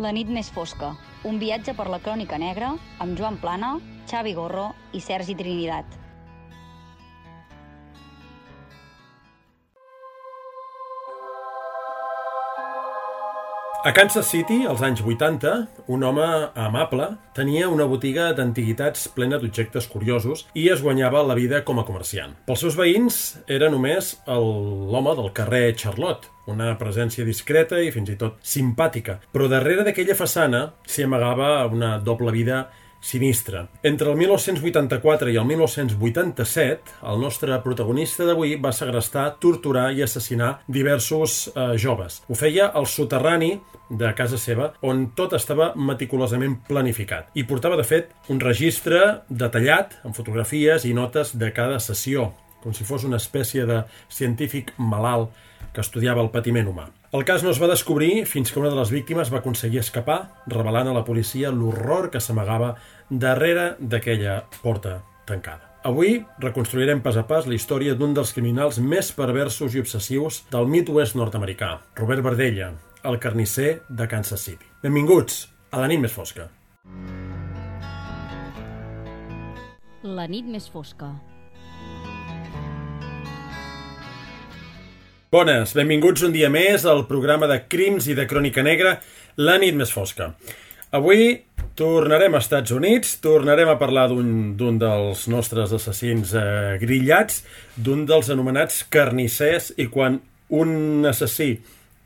La nit més fosca, un viatge per la crònica negra amb Joan Plana, Xavi Gorro i Sergi Trinidad. A Kansas City, als anys 80, un home amable tenia una botiga d'antiguitats plena d'objectes curiosos i es guanyava la vida com a comerciant. Pels seus veïns era només l'home del carrer Charlotte, una presència discreta i fins i tot simpàtica, però darrere d'aquella façana s'hi amagava una doble vida sinistra. Entre el 1984 i el 1987, el nostre protagonista d'avui va segrestar, torturar i assassinar diversos joves. Ho feia al soterrani de casa seva, on tot estava meticulosament planificat. I portava, de fet, un registre detallat amb fotografies i notes de cada sessió, com si fos una espècie de científic malalt que estudiava el patiment humà. El cas no es va descobrir fins que una de les víctimes va aconseguir escapar, revelant a la policia l'horror que s'amagava darrere d'aquella porta tancada. Avui reconstruirem pas a pas la història d'un dels criminals més perversos i obsessius del Midwest nord-americà, Robert Berdella, el carnisser de Kansas City. Benvinguts a La nit més fosca. La nit més fosca. Bones, benvinguts un dia més al programa de crims i de crònica negra, La nit més fosca. Avui tornarem a Estats Units, tornarem a parlar d'un dels nostres assassins grillats, d'un dels anomenats carnissers, i quan un assassí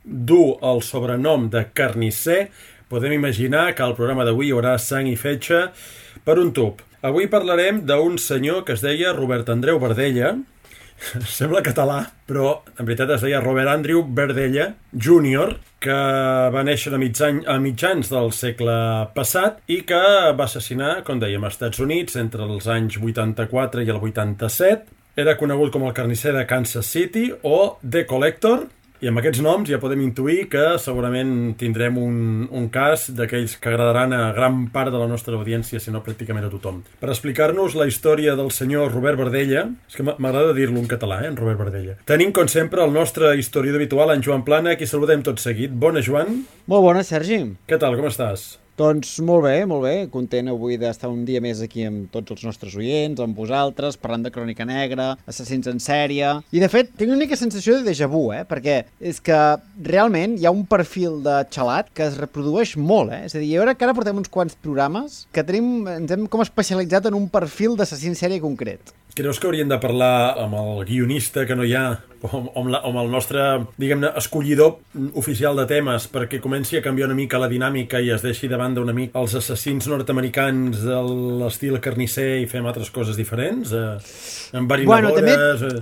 du el sobrenom de carnisser, podem imaginar que al programa d'avui hi haurà sang i fetge per un tub. Avui parlarem d'un senyor que es deia Robert Andreu Berdella. Sembla català, però en veritat es deia Robert Andrew Berdella Jr., que va néixer a mitjans del segle passat i que va assassinar, com dèiem, als Estats Units entre els anys 84 i el 87. Era conegut com el carnisser de Kansas City o The Collector, i amb aquests noms ja podem intuir que segurament tindrem un cas d'aquells que agradaran a gran part de la nostra audiència, si no pràcticament a tothom. Per explicar-nos la història del senyor Robert Berdella, és que m'agrada dir-lo en català, en Robert Berdella. Tenim, com sempre, el nostre historiador habitual, en Joan Plana, a qui saludem tot seguit. Bona, Joan. Molt bona, Sergi. Què tal, com estàs? Doncs molt bé, content avui d'estar un dia més aquí amb tots els nostres oients, amb vosaltres, parlant de crònica negra, assassins en sèrie. I de fet, tinc una mica sensació de déjà vu, perquè és que realment hi ha un perfil de xalat que es reprodueix molt, És a dir, jo crec que ara portem uns quants programes que ens hem com especialitzat en un perfil d'assassí en sèrie concret. Creus que hauríem de parlar amb el guionista que no hi ha, o amb el nostre, diguem-ne, escollidor oficial de temes, perquè comenci a canviar una mica la dinàmica i es deixi de banda una mica els assassins nord-americans de l'estil carnisser i fem altres coses diferents? Enverinadores...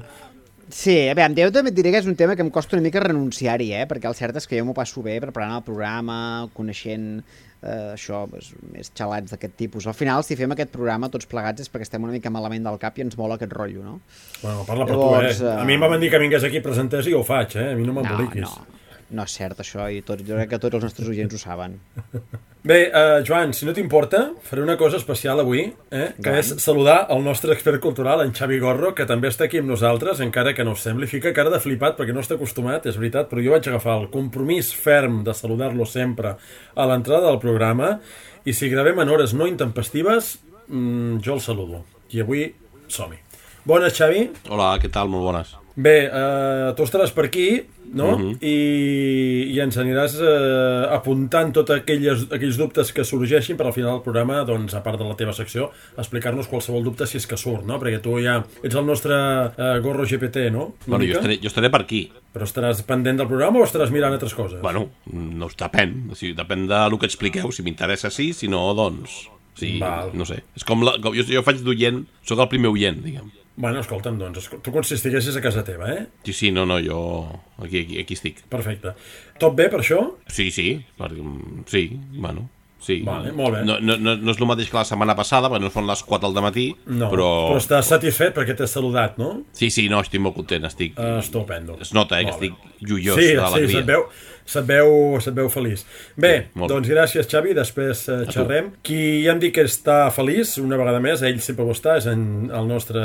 Sí, a veure, jo també et diré que és un tema que em costa una mica renunciar-hi, perquè el cert és que jo m'ho passo bé preparant el programa, coneixent això, més xalats d'aquest tipus. Al final, si fem aquest programa tots plegats és perquè estem una mica malament del cap i ens mola aquest rotllo, no? Bueno, parla per tu, A mi em van dir que vingués aquí, presentés i ho faig, A mi no m'emboliquis. No és cert, això, i jo crec que tots els nostres oients ho saben. Bé, Joan, si no t'importa, faré una cosa especial avui, que és saludar el nostre expert cultural, en Xavi Gorro, que també està aquí amb nosaltres, encara que no us sembli. Fica cara de flipat perquè no està acostumat, és veritat, però jo vaig agafar el compromís ferm de saludar-lo sempre a l'entrada del programa, i si gravem en hores no intempestives, jo el saludo. I avui som-hi. Bones, Xavi. Hola, què tal? Molt bones. Bé, tu estaràs per aquí, no? I ens aniràs apuntant tots aquells dubtes que sorgeixin per al final del programa, doncs, a part de la teva secció, explicar-nos qualsevol dubte si és que surt, no? Perquè tu ja ets el nostre Gorro GPT, no? Bueno, jo estaré per aquí. Però estaràs pendent del programa o estaràs mirant altres coses? Bueno, no depèn. O sigui, depèn del que expliqueu. Si m'interessa, sí. Si no, doncs... Sí, no sé. És com jo faig d'oient, sóc el primer oient, diguem. Bueno, escolta'm, doncs, tu com si estiguessis a casa teva, Sí, no, jo aquí estic. Perfecte. Tot bé per això? Sí, bueno, sí. Vale, molt bé. No és el mateix que la setmana passada, perquè no són les 4 del matí, no, però estàs satisfet perquè t'has saludat, no? Sí, no, estic molt content, estic... Estupendo. Es nota, que estic joiós d'alegria. Sí, se't veu feliç. Bé, doncs gràcies, Xavi, després xerrem. Qui ja em dic que està feliç, una vegada més, ell sempre ho està, és el nostre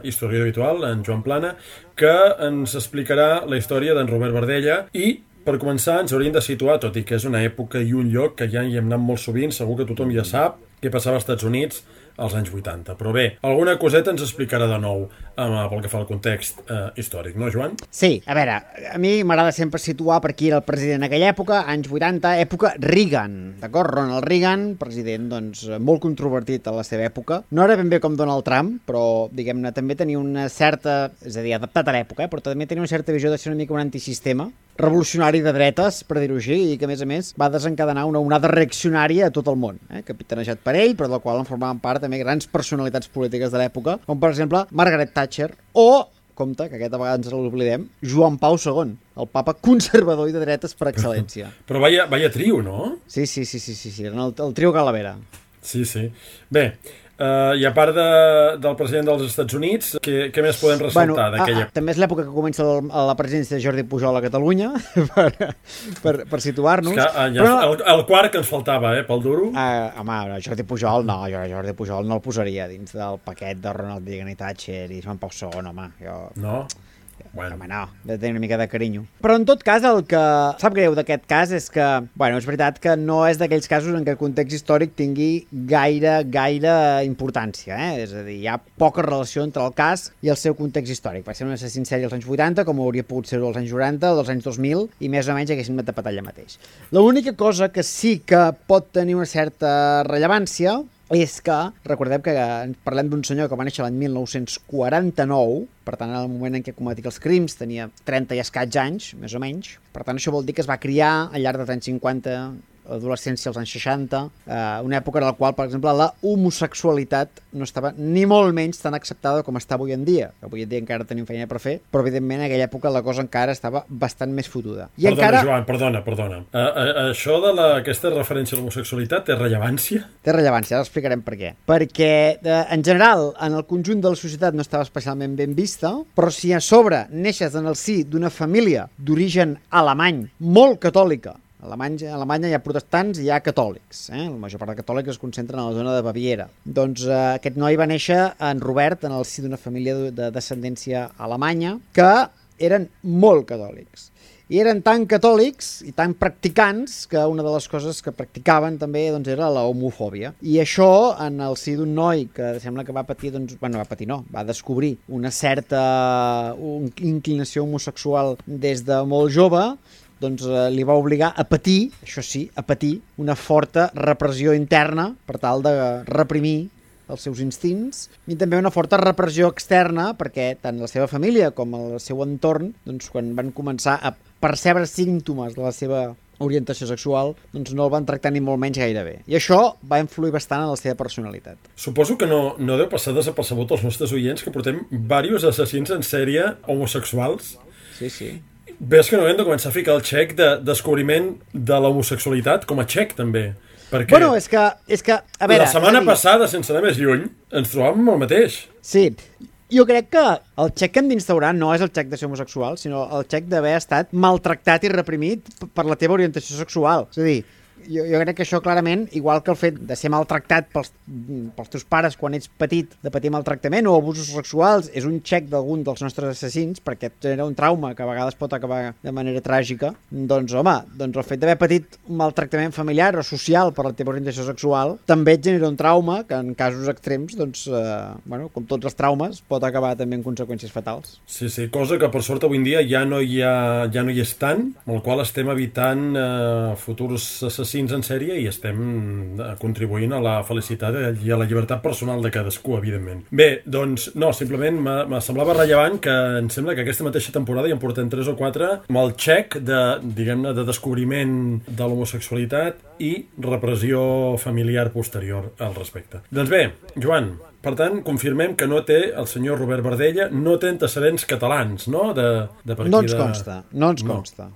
historiador habitual, en Joan Plana, que ens explicarà la història d'en Robert Berdella i per començar, ens hauríem de situar, tot i que és una època i un lloc que ja hi hem anat molt sovint, segur que tothom ja sap què passava als Estats Units als anys 80. Però bé, alguna coseta ens explicarà de nou pel que fa al context històric, no, Joan? Sí, a veure, a mi m'agrada sempre situar per qui era el president en aquella època, anys 80, època Reagan, d'acord? Ronald Reagan, president, doncs, molt controvertit a la seva època. No era ben bé com Donald Trump, però, diguem-ne, també tenia una certa, és a dir, adaptat a l'època, però també tenia una certa visió de ser una mica un antisistema, revolucionari de dretes, per dir-ho així, i que, a més, va desencadenar una onada reaccionària a tot el món, capitanejat per ell, però del qual en formaven part també grans personalitats polítiques de l'època, com per exemple Margaret Thatcher o, compte, que aquest a vegades ens l'oblidem, Joan Pau II, el papa conservador i de dretes per excel·lència. Però vaya trio, no? Sí, el trio Calavera. Sí. Bé, i a part del president dels Estats Units, què més podem ressaltar d'aquella? També és l'època que comença la presidència de Jordi Pujol a Catalunya, per situar-nos. El quart que ens faltava, pel duro. Home, Jordi Pujol no el posaria dins del paquet de Ronald Reagan i Thatcher i Joan Pau II, home. No? Bueno. Home, no, de tenir una mica de carinyo. Però en tot cas, el que sap greu d'aquest cas és que, és veritat que no és d'aquells casos en què el context històric tingui gaire importància, És a dir, hi ha poca relació entre el cas i el seu context històric. Va ser un assassí en sèrie als anys 80, com hauria pogut ser-ho als anys 90 o dels anys 2000, i més o menys haguéssim tapat allà mateix. L'única cosa que sí que pot tenir una certa rellevància és que, recordem que parlem d'un senyor que va néixer l'any 1949, per tant, en el moment en què cometia els crims tenia 30 i escaig anys, més o menys. Per tant, això vol dir que es va criar al llarg dels anys 50, l'adolescència als anys 60, una època en la qual, per exemple, la homosexualitat no estava ni molt menys tan acceptada com està avui en dia. Avui en dia encara tenim feina per fer, però evidentment en aquella època la cosa encara estava bastant més fotuda. Joan, perdona. Això aquesta referència a l'homosexualitat té rellevància? Té rellevància, ara explicarem per què. Perquè, en general, en el conjunt de la societat no estava especialment ben vista, però si a sobre neixes en el si d'una família d'origen alemany, molt catòlica, a Alemanya hi ha protestants i hi ha catòlics. La major part de catòlics es concentren a la zona de Baviera. Doncs aquest noi va néixer en Robert en el si d'una família de descendència alemanya que eren molt catòlics. I eren tan catòlics i tan practicants que una de les coses que practicaven també era la homofòbia. I això, en el si d'un noi que sembla que va patir, va descobrir una certa inclinació homosexual des de molt jove, li va obligar a patir, això sí, una forta repressió interna per tal de reprimir els seus instints i també una forta repressió externa perquè tant la seva família com el seu entorn, quan van començar a percebre símptomes de la seva orientació sexual, no el van tractar ni molt menys gaire bé. I això va influir bastant en la seva personalitat. Suposo que no deu passar desapercebut als nostres oients que portem diversos assassins en sèrie homosexuals. Sí. Ves que no hem de començar a ficar el xec de descobriment de l'homosexualitat com a xec, també. Perquè és que a veure... La setmana passada, sense anar més lluny, ens trobàvem el mateix. Sí, jo crec que el xec que hem d'instaurar no és el xec de ser homosexual, sinó el xec d'haver estat maltractat i reprimit per la teva orientació sexual. És a dir, jo crec que això clarament, igual que el fet de ser maltractat pels teus pares quan ets petit, de patir maltractament o abusos sexuals, és un xec d'algun dels nostres assassins perquè et genera un trauma que a vegades pot acabar de manera tràgica. Doncs el fet d'haver patit un maltractament familiar o social per la teva orientació sexual també et genera un trauma que en casos extrems, com tots els traumes, pot acabar també en conseqüències fatals. Sí, cosa que per sort avui en dia ja no hi és tant, amb el qual estem evitant futurs assassins en sèrie i estem contribuint a la felicitat i a la llibertat personal de cadascú, evidentment. Bé, doncs, no, simplement me semblava rellevant que em sembla que aquesta mateixa temporada ja en portem 3 o 4 amb el xec de descobriment de l'homosexualitat i repressió familiar posterior al respecte. Doncs bé, Joan, per tant, confirmem que no té el senyor Robert Bardella, no té antecedents catalans, no? No ens consta.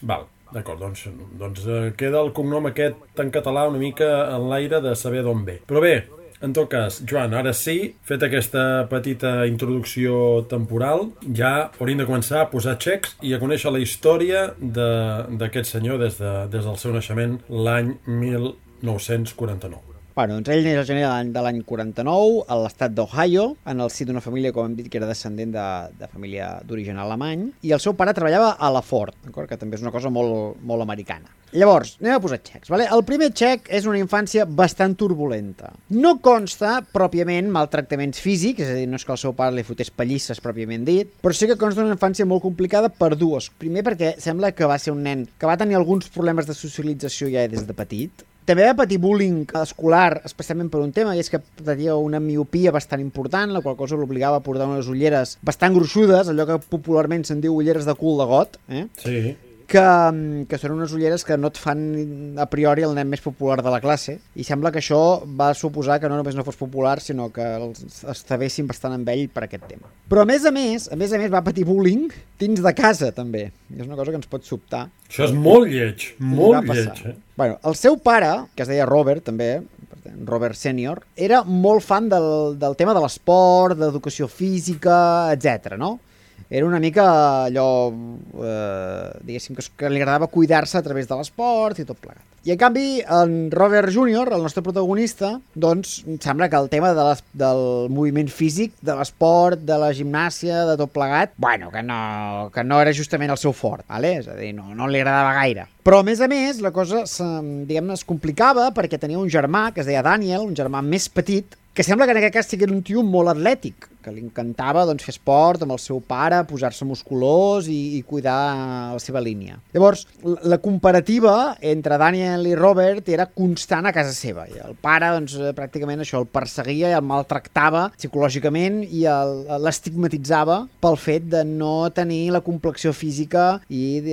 Val. D'acord, doncs queda el cognom aquest en català una mica en l'aire de saber d'on ve. Però bé, en tot cas, Joan, ara sí, fet aquesta petita introducció temporal, ja hauríem de començar a posar xecs i a conèixer la història d'aquest senyor des del seu naixement l'any 1949. Bueno, doncs ell neix al gener de l'any 49 a l'estat d'Ohio, en el si d'una família, com hem dit, que era descendent de família d'origen alemany, i el seu pare treballava a la Ford, d'acord? Que també és una cosa molt americana. Llavors, anem a posar xecs, vale? El primer xec és una infància bastant turbulenta. No consta pròpiament maltractaments físics, és a dir, no és que el seu pare li fotés pallisses pròpiament dit, però sí que consta una infància molt complicada per dues. Primer perquè sembla que va ser un nen que va tenir alguns problemes de socialització ja des de petit. També va patir bullying escolar, especialment per un tema, i és que tenia una miopia bastant important, la qual cosa l'obligava a portar unes ulleres bastant gruixudes, allò que popularment se'n diu ulleres de cul de got, Sí. que són unes ulleres que no et fan a priori el nen més popular de la classe, i sembla que això va suposar que no només no fos popular, sinó que els estabessin bastant amb ell per aquest tema. Però a més a més va patir bullying dins de casa també, i és una cosa que ens pot sobtar. Això és molt lleig, molt lleig. Bueno, el seu pare, que es deia Robert també, Robert Senior, era molt fan del tema de l'esport, d'educació física, etc. no? Era una mica allò, diguéssim, que li agradava cuidar-se a través de l'esport i tot plegat. I en canvi, en Robert Jr., el nostre protagonista, doncs sembla que el tema del moviment físic, de l'esport, de la gimnàsia, de tot plegat, bueno, que no era justament el seu fort, vale? És a dir, no li agradava gaire. Però, a més, la cosa, diguem-ne, es complicava perquè tenia un germà que es deia Daniel, un germà més petit, que sembla que en aquest cas sigui un tio molt atlètic, que li encantava doncs, fer esport amb el seu pare, posar-se musculós i cuidar la seva línia. Llavors, la comparativa entre Daniel i Robert era constant a casa seva. I el pare, doncs, pràcticament això, el perseguia i el maltractava psicològicament i l'estigmatitzava pel fet de no tenir la complexió física i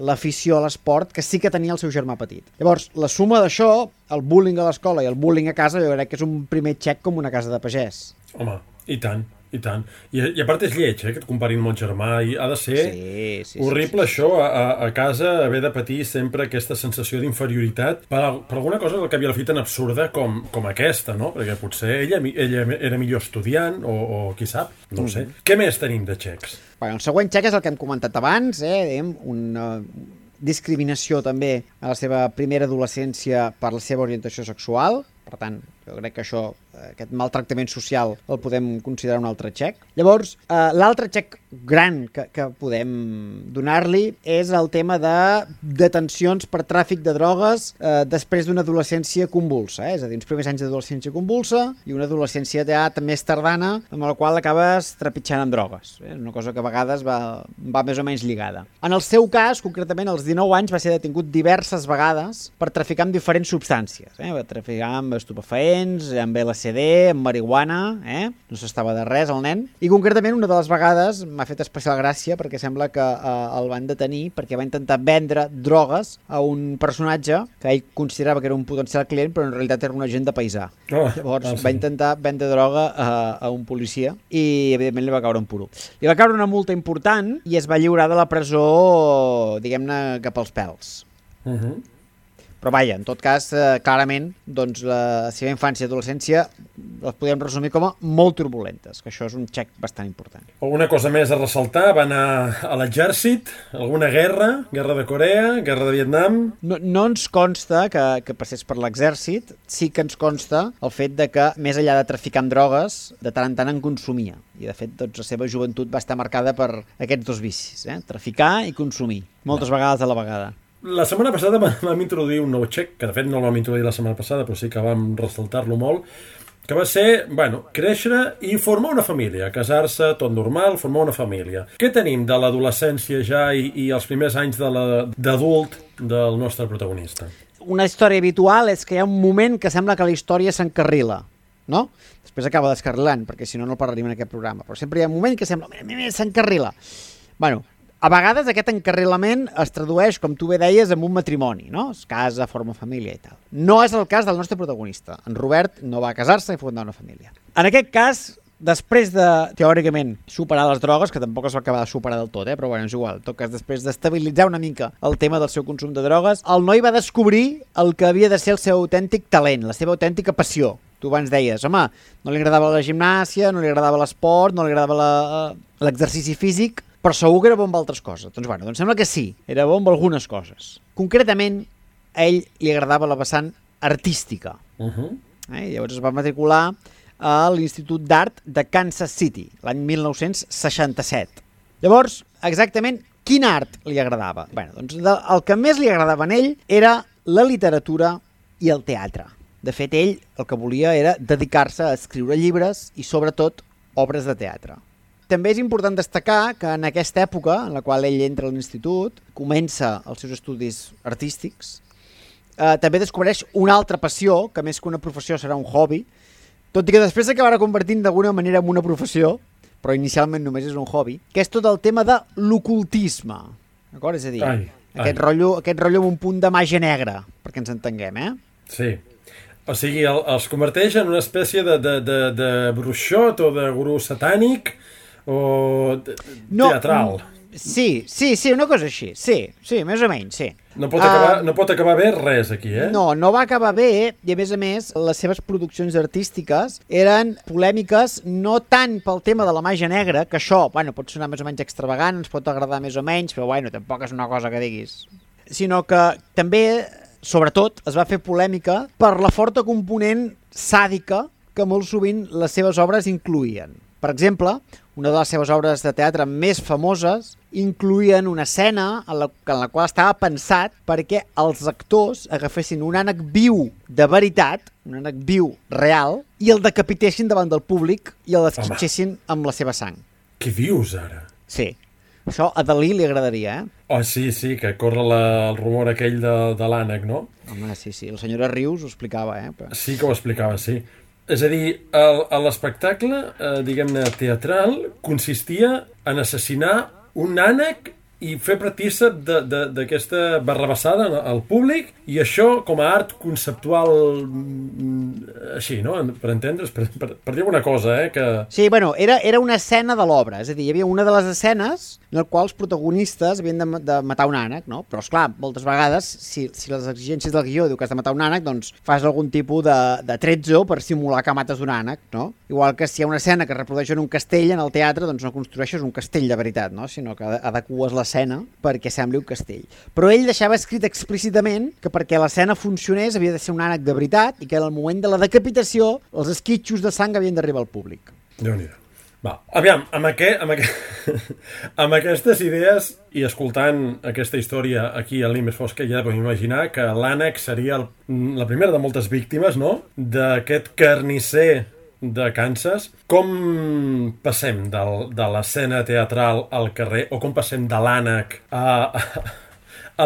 l'afició a l'esport que sí que tenia el seu germà petit. Llavors, la suma d'això, el bullying a l'escola i el bullying a casa, jo crec que és un primer xec com una casa de pagès. Home, i tant, i tant. I a part és lleig, que et comparin amb el germà, i ha de ser horrible això, a casa haver de patir sempre aquesta sensació d'inferioritat per alguna cosa que havia la fi tan absurda com aquesta, no? Perquè potser ella era millor estudiant, o qui sap, no ho sé. Què més tenim de xecs? Bueno, el següent xec és el que hem comentat abans, una discriminació també a la seva primera adolescència per la seva orientació sexual. Per tant, jo crec que aquest maltractament social el podem considerar un altre xec. Llavors, l'altre xec gran que podem donar-li és el tema de detencions per tràfic de drogues després d'una adolescència convulsa. És a dir, uns primers anys d'adolescència convulsa i una adolescència ja més tardana amb la qual acabes trepitjant amb drogues. És una cosa que a vegades va més o menys lligada. En el seu cas, concretament, als 19 anys va ser detingut diverses vegades per traficar amb diferents substàncies. Va traficar amb estupefaents, amb LSD, amb marihuana, no s'estava de res el nen, i concretament una de les vegades m'ha fet especial gràcia perquè sembla que el van detenir perquè va intentar vendre drogues a un personatge que ell considerava que era un potencial client, però en realitat era un agent de paisà. Llavors va intentar vendre droga a un policia i evidentment li va caure un puro. Li va caure una multa important i es va lliurar de la presó, diguem-ne, cap als pèls. Però vaja, en tot cas, clarament, doncs, la seva infància i adolescència les podem resumir com a molt turbulentes, que això és un xec bastant important. Alguna cosa més a ressaltar? Va anar a l'exèrcit? Alguna guerra? Guerra de Corea? Guerra de Vietnam? No ens consta que passés per l'exèrcit, sí que ens consta el fet de que, més enllà de traficar amb drogues, de tant en tant en consumia. I, de fet, doncs, la seva joventut va estar marcada per aquests dos vicis, traficar i consumir, moltes vegades a la vegada. La setmana passada vam introduir un nou xec, que de fet no el vam introduir la setmana passada, però sí que vam ressaltar-lo molt, que va ser, créixer i formar una família, casar-se, tot normal, formar una família. Què tenim de l'adolescència ja i els primers anys d'adult del nostre protagonista? Una història habitual és que hi ha un moment que sembla que la història s'encarrila, no? Després acaba descarrilant, perquè si no, no parlaríem en aquest programa. Però sempre hi ha un moment que sembla que s'encarrila. A vegades aquest encarrilament es tradueix, com tu bé deies, en un matrimoni, no? Es casa, forma família i tal. No és el cas del nostre protagonista. En Robert no va casar-se i fundar una família. En aquest cas, després de, teòricament, superar les drogues, que tampoc es va acabar de superar del tot, però bueno, és igual. En tot cas, després d'estabilitzar una mica el tema del seu consum de drogues, el noi va descobrir el que havia de ser el seu autèntic talent, la seva autèntica passió. Tu abans deies, home, no li agradava la gimnàsia, no li agradava l'esport, no li agradava l'exercici físic, però segur que era bon amb altres coses. Doncs sembla que sí, era bon amb algunes coses. Concretament, a ell li agradava la vessant artística. I llavors es va matricular a l'Institut d'Art de Kansas City, l'any 1967. Llavors, exactament, quin art li agradava? Bé, doncs el que més li agradava a ell era la literatura i el teatre. De fet, ell el que volia era dedicar-se a escriure llibres i, sobretot, obres de teatre. També és important destacar que en aquesta època, en la qual ell entra a l'institut, comença els seus estudis artístics, també descobreix una altra passió, que més que una professió serà un hobby, tot i que després s'acabarà convertint d'alguna manera en una professió, però inicialment només és un hobby, que és tot el tema de l'ocultisme. D'acord? És a dir, aquest rotllo amb un punt de màgia negra, perquè ens entenguem, Sí. O sigui, els converteix en una espècie de bruixot o de gurú satànic o teatral. Sí, una cosa així. Sí, més o menys, sí. No pot acabar bé res aquí, No va acabar bé i, a més, les seves produccions artístiques eren polèmiques no tant pel tema de la màgia negra, que això, pot sonar més o menys extravagant, ens pot agradar més o menys, però, tampoc és una cosa que diguis. Sinó que també, sobretot, es va fer polèmica per la forta component sàdica que molt sovint les seves obres incloïen. Per exemple, una de les seves obres de teatre més famoses incloïen una escena en la qual estava pensat perquè els actors agafessin un ànec viu de veritat, un ànec viu real, i el decapitessin davant del públic i el esquitxessin amb la seva sang. Què dius, ara? Sí. Això a Dalí li agradaria, Oh, sí, que corre el rumor aquell de l'ànec, no? Home, sí, la senyora Rius ho explicava, Però... Sí que ho explicava, sí. És a dir, l'espectacle, diguem-ne, teatral, consistia en assassinar un ànec i fer partícip d'aquesta barrabassada al públic, i això com a art conceptual així, no? Per entendre's, per dir alguna cosa, que... Sí, era una escena de l'obra, és a dir, hi havia una de les escenes en la qual els protagonistes havien de matar un ànec, no? Però, esclar, moltes vegades, si les exigències del guió diu que has de matar un ànec, doncs fas algun tipus de tretzo per simular que mates un ànec, no? Igual que si hi ha una escena que reprodueix en un castell en el teatre, doncs no construeixes un castell de veritat, no? Sinó que adeques l'escena perquè sembli un castell. Però ell deixava escrit explícitament que perquè l'escena funcionés havia de ser un ànec de veritat i que en el moment de la decapitació els esquitxos de sang havien d'arribar al públic. Déu-n'hi-do. Va, aviam, amb aquestes idees i escoltant aquesta història aquí a l'Imes Fosca, ja podem imaginar que l'ànec seria la primera de moltes víctimes, no?, d'aquest carnisser de Kansas. Com passem de l'escena teatral al carrer, o com passem de l'ànec a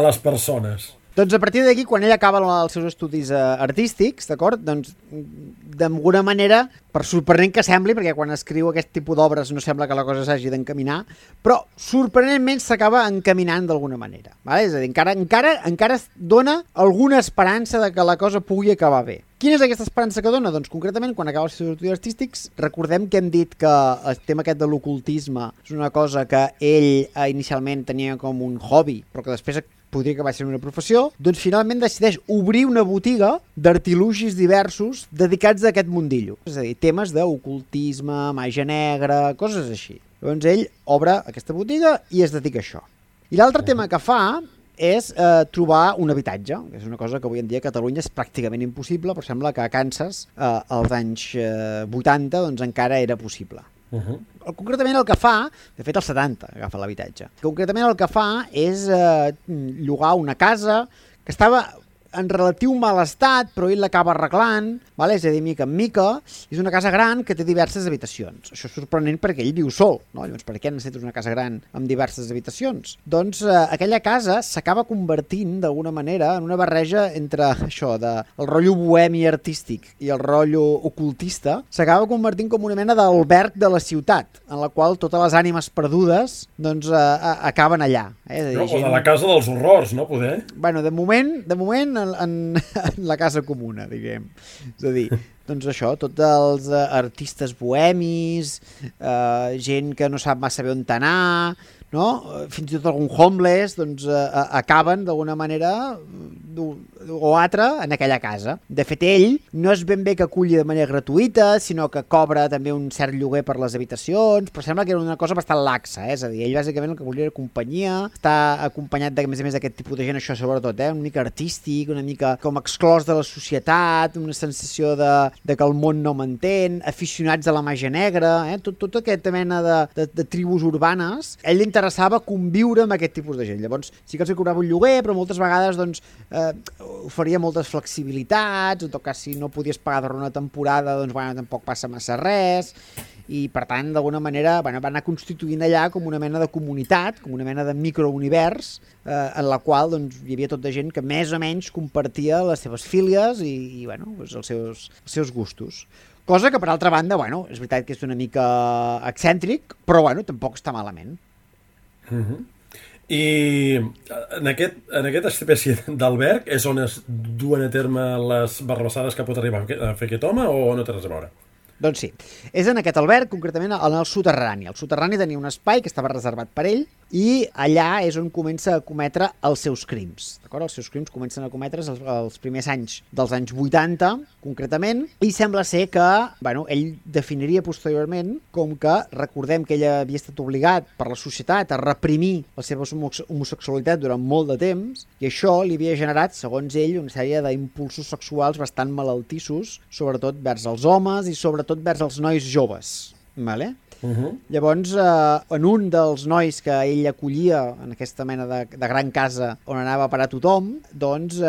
les persones? Doncs a partir d'aquí, quan ell acaba els seus estudis artístics, d'acord? Doncs d'alguna manera, per sorprenent que sembli, perquè quan escriu aquest tipus d'obres no sembla que la cosa s'hagi d'encaminar, però sorprenentment s'acaba encaminant d'alguna manera. Vale? És a dir, encara es dona alguna esperança de que la cosa pugui acabar bé. Quina és aquesta esperança que dona? Doncs concretament, quan acaba els seus estudis artístics, recordem que hem dit que el tema aquest de l'ocultisme és una cosa que ell inicialment tenia com un hobby, però que després podria acabar sent una professió, doncs finalment decideix obrir una botiga d'artilugis diversos dedicats a aquest mundillo. És a dir, temes d'ocultisme, màgia negra, coses així. Llavors ell obre aquesta botiga i es dedica a això. I l'altre tema que fa és trobar un habitatge, que és una cosa que avui en dia a Catalunya és pràcticament impossible, però sembla que a Kansas, als anys 80, doncs encara era possible. Concretament el que fa, de fet als 70 agafa l'habitatge, concretament el que fa és llogar una casa que estava en relatiu mal estat, però ell l'acaba arreglant, vale? És a dir, mica en mica, és una casa gran que té diverses habitacions. Això és sorprenent perquè ell viu sol, no? Llavors, per què necessites una casa gran amb diverses habitacions? Doncs aquella casa s'acaba convertint, d'alguna manera, en una barreja entre això, el rotllo bohemi artístic i el rotllo ocultista, s'acaba convertint com una mena d'alberg de la ciutat, en la qual totes les ànimes perdudes doncs, acaben allà. És a dir, o de la casa dels horrors, no? Poder? Bueno, de moment en la casa comuna, diguem. És a dir, doncs això, tots els artistes bohemis, gent que no sap massa bé on anar, no? Fins i tot algun homeless, doncs acaben d'alguna manera o altra en aquella casa. De fet, ell no és ben bé que aculli de manera gratuïta, sinó que cobra també un cert lloguer per les habitacions, però sembla que era una cosa bastant laxa, és a dir, ell bàsicament el que volia era companyia, està acompanyat de, a més d'aquest tipus de gent, això sobretot, una mica artístic, una mica com exclòs de la societat, una sensació de que el món no m'entén, aficionats a la màgia negra, tot aquesta mena de tribus urbanes. Ell li interessava conviure amb aquest tipus de gent. Llavors, sí que els cobrava un lloguer, però moltes vegades doncs, oferia moltes flexibilitats, en tot cas si no podies pagar durant una temporada, doncs bueno, tampoc passa massa res, i per tant, d'alguna manera, bueno, va anar constituint allà com una mena de comunitat, com una mena de microunivers, en la qual doncs, hi havia tota gent que més o menys compartia les seves fílies i bueno, doncs, els seus gustos. Cosa que, per altra banda, bueno, és veritat que és una mica excèntric, però bueno, tampoc està malament. I en aquesta espècie d'alberg és on es duen a terme les barrabassades que pot arribar a fer aquest home o no té res a veure? Doncs sí, és en aquest alberg, concretament en el soterrani. El soterrani tenia un espai que estava reservat per ell i allà és on comença a cometre els seus crims. D'acord? Els seus crims comencen a cometre's els primers anys dels anys 80, concretament, i sembla ser que bueno, ell definiria posteriorment com que, recordem que ell havia estat obligat per la societat a reprimir la seva homosexualitat durant molt de temps, i això li havia generat, segons ell, una sèrie d'impulsos sexuals bastant malaltissos, sobretot vers els homes i sobretot vers els nois joves. Vale? Llavors, en un dels nois que ell acollia en aquesta mena de gran casa on anava a parar tothom, doncs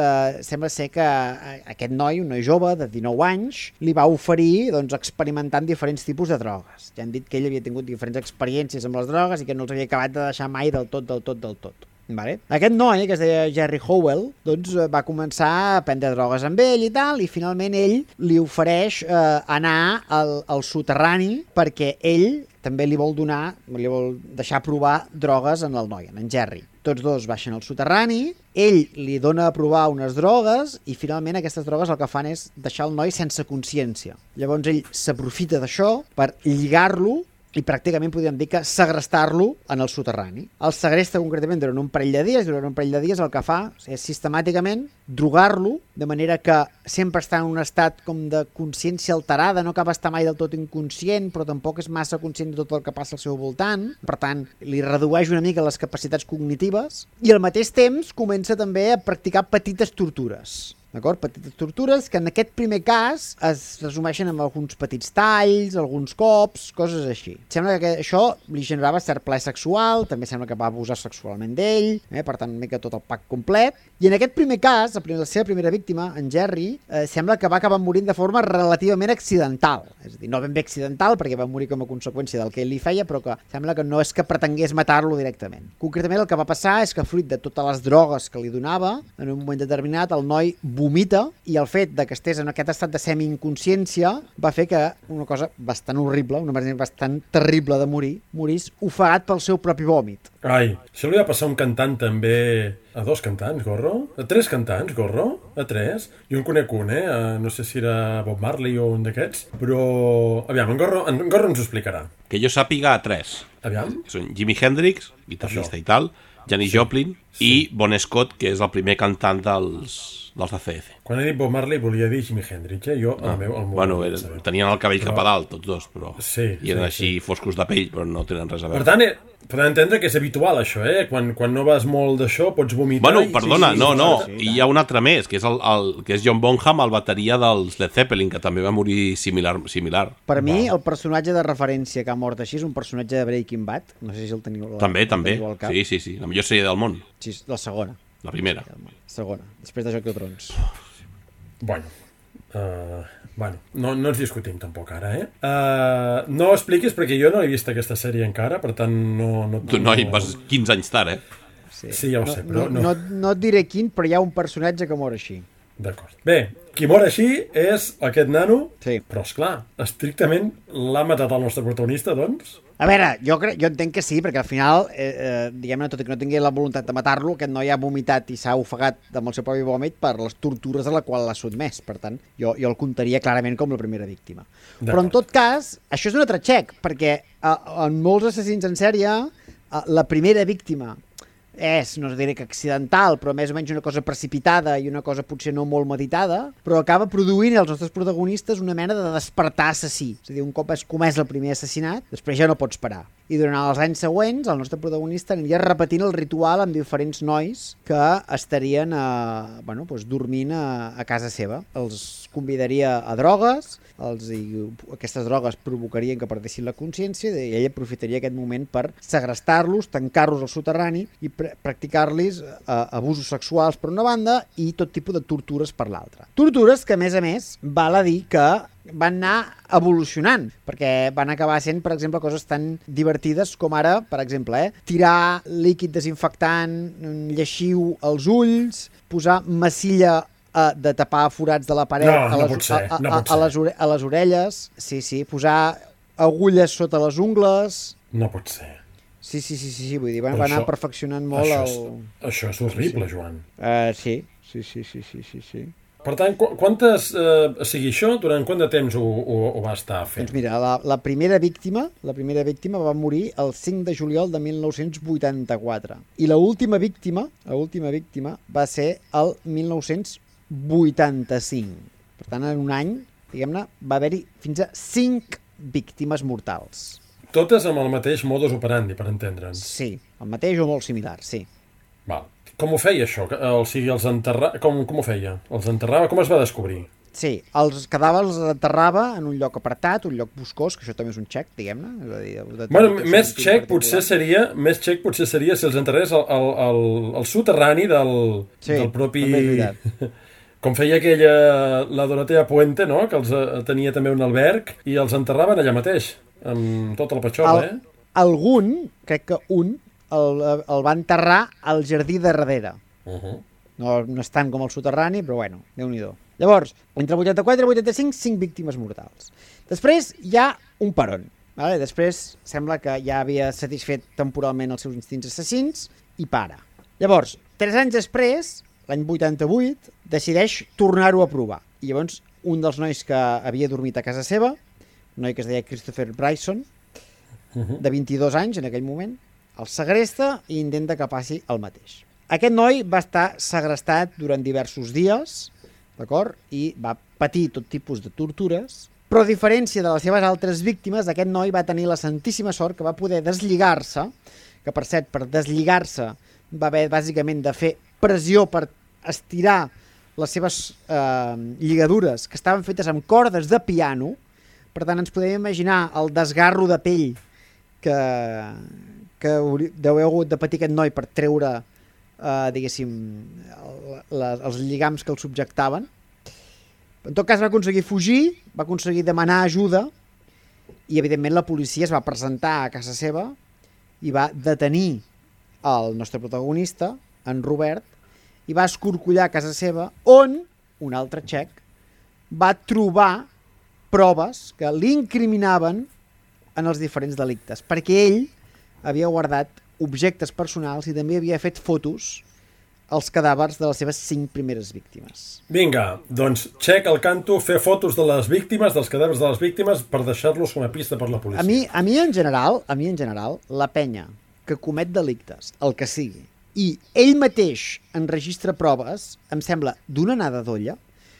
sembla ser que aquest noi, un noi jove de 19 anys, li va oferir doncs, experimentar diferents tipus de drogues. Ja han dit que ell havia tingut diferents experiències amb les drogues i que no els havia acabat de deixar mai del tot. Vale. Aquest noi, que es deia Jerry Howell, doncs, va començar a prendre drogues amb ell i tal, i finalment ell li ofereix anar al soterrani perquè ell també li vol deixar provar drogues en el noi, en Jerry. Tots dos baixen al soterrani, ell li dona a provar unes drogues i finalment aquestes drogues el que fan és deixar el noi sense consciència. Llavors ell s'aprofita d'això per lligar-lo i pràcticament podríem dir que segrestar-lo en el soterrani. El segresta concretament durant un parell de dies, el que fa és sistemàticament drogar-lo, de manera que sempre està en un estat com de consciència alterada, no acaba d'estar mai del tot inconscient, però tampoc és massa conscient de tot el que passa al seu voltant, per tant, li redueix una mica les capacitats cognitives, i al mateix temps comença també a practicar petites tortures. D'acord? Petites tortures que en aquest primer cas es resumeixen amb alguns petits talls, alguns cops, coses així. Sembla que això li generava cert plaer sexual, també sembla que va abusar sexualment d'ell, per tant una mica tot el pack complet. I en aquest primer cas, la seva primera víctima, en Jerry, sembla que va acabar morint de forma relativament accidental. És a dir, no ben bé accidental, perquè va morir com a conseqüència del que ell li feia, però que sembla que no és que pretengués matar-lo directament. Concretament el que va passar és que fruit de totes les drogues que li donava, en un moment determinat el noi vomita i el fet de que estés en aquest estat de semi-inconsciència va fer que una cosa bastant horrible, una manera bastant terrible de morir, morís ofegat pel seu propi vòmit. Ai, això li va passar a un cantant també, a 2 cantants, Gorro? A 3 cantants, Gorro? A 3? Jo en conec un, no sé si era Bob Marley o un d'aquests, però... Aviam, en Gorro ens ho explicarà. Que jo sàpiga a 3. Aviam. Són Jimi Hendrix, guitarrista i tal, Janis Joplin i Bon Scott, que és el primer cantant dels ACDC. Quan he dit Bob Marley volia dir Jimi Hendrix, Jo tenien el cabell cap a dalt, tots dos, però i eren així foscos de pell, però no tenen res a veure. Per tant, podem entendre que és habitual això, Quan no vas molt d'això pots vomitar... Bueno, perdona, i hi ha un altre més, que és John Bonham, el bateria dels Led Zeppelin, que també va morir similar. Per mi, el personatge de referència que ha mort així és un personatge de Breaking Bad, no sé si el teniu... També, sí, la millor sèrie del món. Sí, la segona. La primera. Segona, després de Joc de Trons. Bueno, no ens discutim tampoc ara, no ho expliquis perquè jo no he vist aquesta sèrie encara, per tant no... Tu, noi, vas 15 anys tard, Sí, ja ho sé, però no... No et diré quin, però hi ha un personatge que mor així. D'acord. Bé, qui mor així és aquest nano, sí. Però esclar, estrictament l'ha matat el nostre protagonista, doncs? A veure, jo entenc que sí, perquè al final, diguem-ne, tot i que no tingui la voluntat de matar-lo, aquest noi ha vomitat i s'ha ofegat amb el seu propi vòmit per les tortures a la qual l'ha sotmès. Per tant, jo el comptaria clarament com la primera víctima. Però en tot cas, això és un altre xec, perquè en molts assassins en sèrie, la primera víctima és, no diré que accidental, però més o menys una cosa precipitada i una cosa potser no molt meditada, però acaba produint als nostres protagonistes una mena de despertar assassí. És a dir, un cop has comès el primer assassinat, després ja no pots parar. I durant els anys següents, el nostre protagonista aniria repetint el ritual amb diferents nois que estarien dormint a casa seva. Els convidaria a drogues, aquestes drogues provocarien que perdessin la consciència i ell aprofitaria aquest moment per segrestar-los, tancar-los al soterrani i practicar-los abusos sexuals per una banda i tot tipus de tortures per l'altra. Tortures que, a més, val a dir que van anar evolucionant, perquè van acabar sent, per exemple, coses tan divertides com ara, per exemple, tirar líquid desinfectant, lleixiu als ulls, posar massilla de tapar forats de la paret a les orelles, sí, posar agulles sota les ungles... No pot ser. Sí, vull dir, van anar perfeccionant molt Això és horrible, Joan. Sí. Per tant, quantes... durant quant de temps ho va estar fent? Doncs mira, la primera víctima va morir el 5 de juliol de 1984 i l'última víctima va ser el 1985. Per tant, en un any, diguem-ne, va haver-hi fins a 5 víctimes mortals. Totes amb el mateix modus operandi, per entendre'ns. Sí, el mateix o molt similar, sí. Val. Com ho feia, això? O sigui, els enterrava... Com ho feia? Els enterrava? Com es va descobrir? Sí, els cadàvers els enterrava en un lloc apartat, un lloc boscós, que això també és un xec, diguem-ne. Més xec potser seria si els enterrés al soterrani del propi... Com feia la Dorotea Puente, no? Que els tenia també un alberg i els enterraven allà mateix, amb tot el patxol, Algun, crec que un, el va enterrar al jardí de darrere. No és tant com el soterrani, però bueno, Déu-n'hi-do. Llavors, entre 84 i 85, 5 víctimes mortals. Després hi ha un peron. Vale? Després sembla que ja havia satisfet temporalment els seus instints assassins i para. Llavors, 3 anys després, l'any 88, decideix tornar-ho a provar. I llavors, un dels nois que havia dormit a casa seva, un noi que es deia Christopher Bryson, de 22 anys en aquell moment, el segresta i intenta que passi el mateix. Aquest noi va estar segrestat durant diversos dies, d'acord? I va patir tot tipus de tortures, però a diferència de les seves altres víctimes, aquest noi va tenir la santíssima sort que va poder deslligar-se, que per cert, per deslligar-se va haver bàsicament de fer pressió per estirar les seves lligadures, que estaven fetes amb cordes de piano. Per tant, ens podem imaginar el desgarro de pell que deu haver hagut de patir aquest noi per treure, diguéssim, els lligams que el subjectaven. En tot cas va aconseguir fugir, va aconseguir demanar ajuda i evidentment la policia es va presentar a casa seva i va detenir el nostre protagonista, en Robert, i va escorcollar a casa seva on, un altre xec, va trobar proves que l'incriminaven en els diferents delictes, perquè ell havia guardat objectes personals i també havia fet fotos als cadàvers de les seves 5 primeres víctimes. Vinga, doncs check al canto, fer fotos de les víctimes, dels cadàvers de les víctimes, per deixar-los com a pista per la policia. A mi en general, la penya que comet delictes, el que sigui, i ell mateix enregistra proves, em sembla d'una anada d'olla,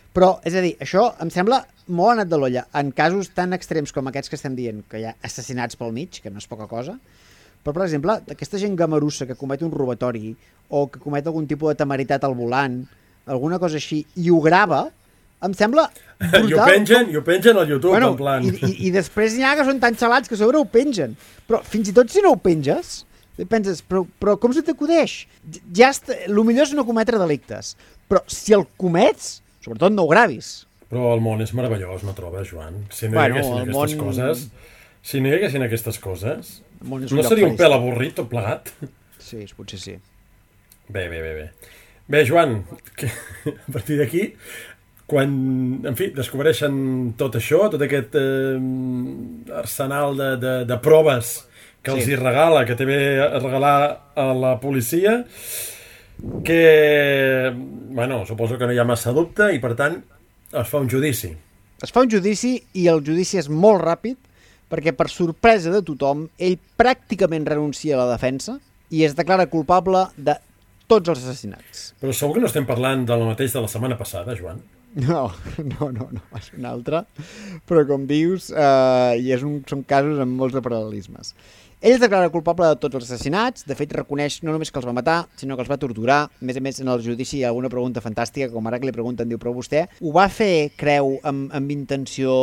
però, és a dir, això em sembla molt anat de l'olla. En casos tan extrems com aquests que estem dient, que hi ha assassinats pel mig, que no és poca cosa, però, per exemple, aquesta gent gamarussa que comet un robatori o que comet algun tipus de temeritat al volant, alguna cosa així, i ho grava, em sembla brutal. I ho pengen al YouTube, en plan... I després n'hi ha que són tan xalats que a sobre ho pengen. Però fins i tot si no ho penges, penses, però com se t'acudeix? El millor és no cometre delictes. Però si el comets, sobretot no ho gravis. Però el món és meravellós, no trobes, Joan? Si no hi haguessin aquestes coses... Si no hi haguessin aquestes coses, no seria un pèl avorrit tot plegat? Sí, potser sí. Bé. Bé, Joan, a partir d'aquí, quan, en fi, descobreixen tot això, tot aquest arsenal de proves que els hi regala, que té bé a regalar a la policia, que, bueno, suposo que no hi ha massa dubte i, per tant, es fa un judici. Es fa un judici i el judici és molt ràpid perquè, per sorpresa de tothom, ell pràcticament renuncia a la defensa i es declara culpable de tots els assassinats. Però segur que no estem parlant del mateix de la setmana passada, Joan? No, és un altre. Però, com dius, són casos amb molts de paral·lelismes. Ell es declara culpable de tots els assassinats, de fet reconeix no només que els va matar, sinó que els va torturar. A més, en el judici hi ha alguna pregunta fantàstica, com ara que li pregunten, diu, però vostè ho va fer, creu, amb intenció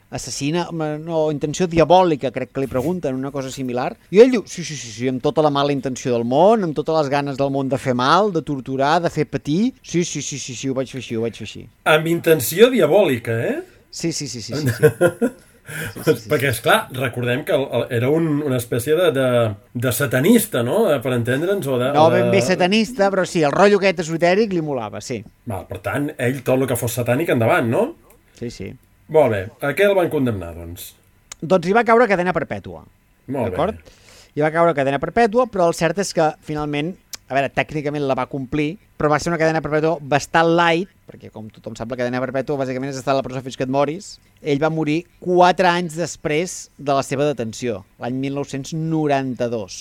assassina? No, intenció diabòlica, crec que li pregunten, una cosa similar. I ell diu, sí, amb tota la mala intenció del món, amb totes les ganes del món de fer mal, de torturar, de fer patir. Sí, ho vaig fer així. Amb intenció diabòlica, eh? Sí. Sí. Perquè, esclar, recordem que era una espècie de satanista, no? Per entendre'ns, no ben bé satanista, però sí, el rotllo aquest esotèric li molava, sí. Val, per tant, ell tot el que fos satànic endavant, no? Sí. Molt bé, a què el van condemnar, doncs? Doncs hi va caure cadena perpètua. Molt bé. Hi va caure cadena perpètua, però el cert és que, finalment, a veure, tècnicament la va complir, però va ser una cadena perpètua bastant light, perquè com tothom sap, la cadena perpètua bàsicament és estar a la presó fins que et moris. Ell va morir 4 anys després de la seva detenció, l'any 1992.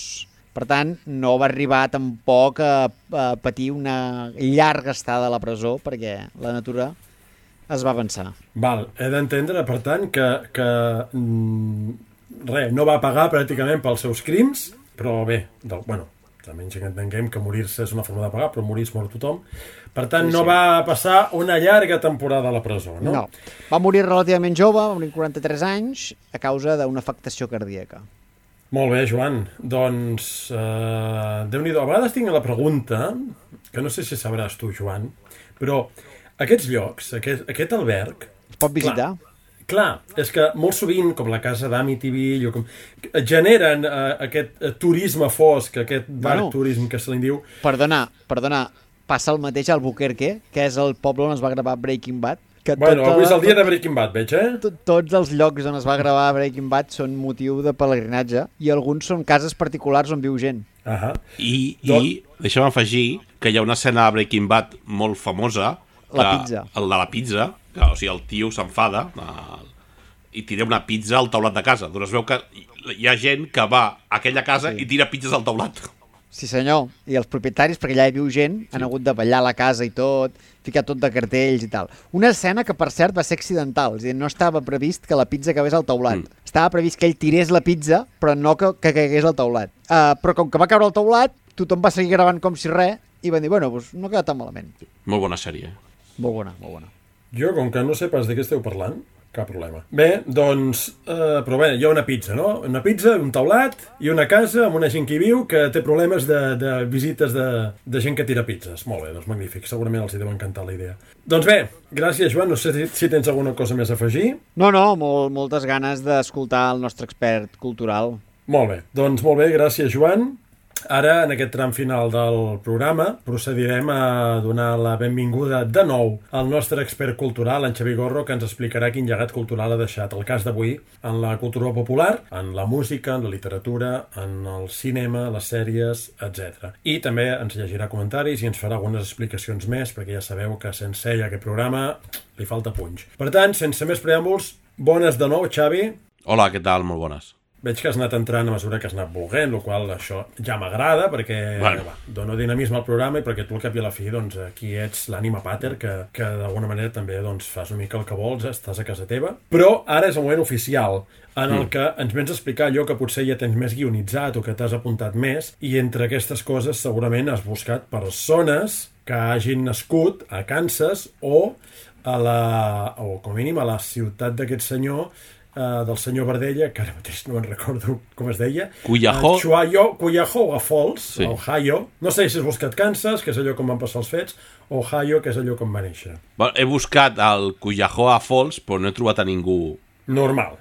Per tant, no va arribar tampoc a patir una llarga estada a la presó, perquè la natura es va avançar. Val, he d'entendre, per tant, que no va pagar pràcticament pels seus crims, però bé, almenys que entenguem que morir-se és una forma de pagar, però morir es mor tothom. Per tant, no va passar una llarga temporada a la presó, no? No. Va morir relativament jove, va morir 43 anys, a causa d'una afectació cardíaca. Molt bé, Joan. Doncs, Déu-n'hi-do. A vegades tinc la pregunta, que no sé si sabràs tu, Joan, però aquests llocs, aquest alberg... Es pot visitar? Clar, és que molt sovint, com la casa d'Amityville, generen aquest turisme fosc, aquest dark tourism que se li diu. Perdona, passa el mateix a Albuquerque, que és el poble on es va gravar Breaking Bad. Avui és el dia de Breaking Bad, veig, eh? Tots els llocs on es va gravar Breaking Bad són motiu de pelegrinatge i alguns són cases particulars on viu gent. I deixa'm afegir que hi ha una escena de Breaking Bad molt famosa, la pizza. El de la pizza, que, o sigui, el tio s'enfada i tira una pizza al taulat de casa. Doncs es veu que hi ha gent que va a aquella casa i tira pizzas al taulat. Sí, senyor. I els propietaris, perquè allà hi viu gent, han hagut de ballar la casa i tot, ficar tot de cartells i tal. Una escena que, per cert, va ser accidental. És a dir, no estava previst que la pizza acabés al taulat. Estava previst que ell tirés la pizza, però no que caigués al taulat. Però com que va caure al taulat, tothom va seguir gravant com si res i van dir, bueno, doncs no queda tan malament. Molt bona sèrie. Molt bona. Jo, com que no sé pas de què esteu parlant, cap problema. Bé, doncs, però bé, hi ha una pizza, no? Una pizza, un taulat i una casa amb una gent que hi viu que té problemes de visites de gent que tira pizzas. Molt bé, doncs magnífic. Segurament els hi deu encantar la idea. Doncs bé, gràcies, Joan. No sé si tens alguna cosa més a afegir. No, moltes ganes d'escoltar el nostre expert cultural. Molt bé, doncs molt bé, gràcies, Joan. Ara, en aquest tram final del programa, procedirem a donar la benvinguda de nou al nostre expert cultural, en Xavi Gorro, que ens explicarà quin llegat cultural ha deixat el cas d'avui en la cultura popular, en la música, en la literatura, en el cinema, les sèries, etc. I també ens llegirà comentaris i ens farà algunes explicacions més, perquè ja sabeu que sense ell aquest programa li falta punx. Per tant, sense més preàmbuls, bones de nou, Xavi. Hola, què tal? Molt bones. Veig que has anat entrant a mesura que has anat volent, el qual això ja m'agrada, perquè dono dinamisme al programa i perquè tu al cap i a la fi, doncs, aquí ets l'ànima pater, que d'alguna manera també doncs, fas una mica el que vols, estàs a casa teva. Però ara és el moment oficial en el que ens vens a explicar allò que potser ja tens més guionitzat o que t'has apuntat més, i entre aquestes coses segurament has buscat persones que hagin nascut a Kansas o com a mínim a la ciutat d'aquest senyor, del senyor Bardella, que ara mateix no me'n recordo com es deia. Cuyahoga Falls, sí. Ohio. No sé si has buscat Kansas, que és allò com van passar els fets, Ohio, que és allò com va néixer. He buscat el Cuyahoga Falls, però no he trobat a ningú... Normal.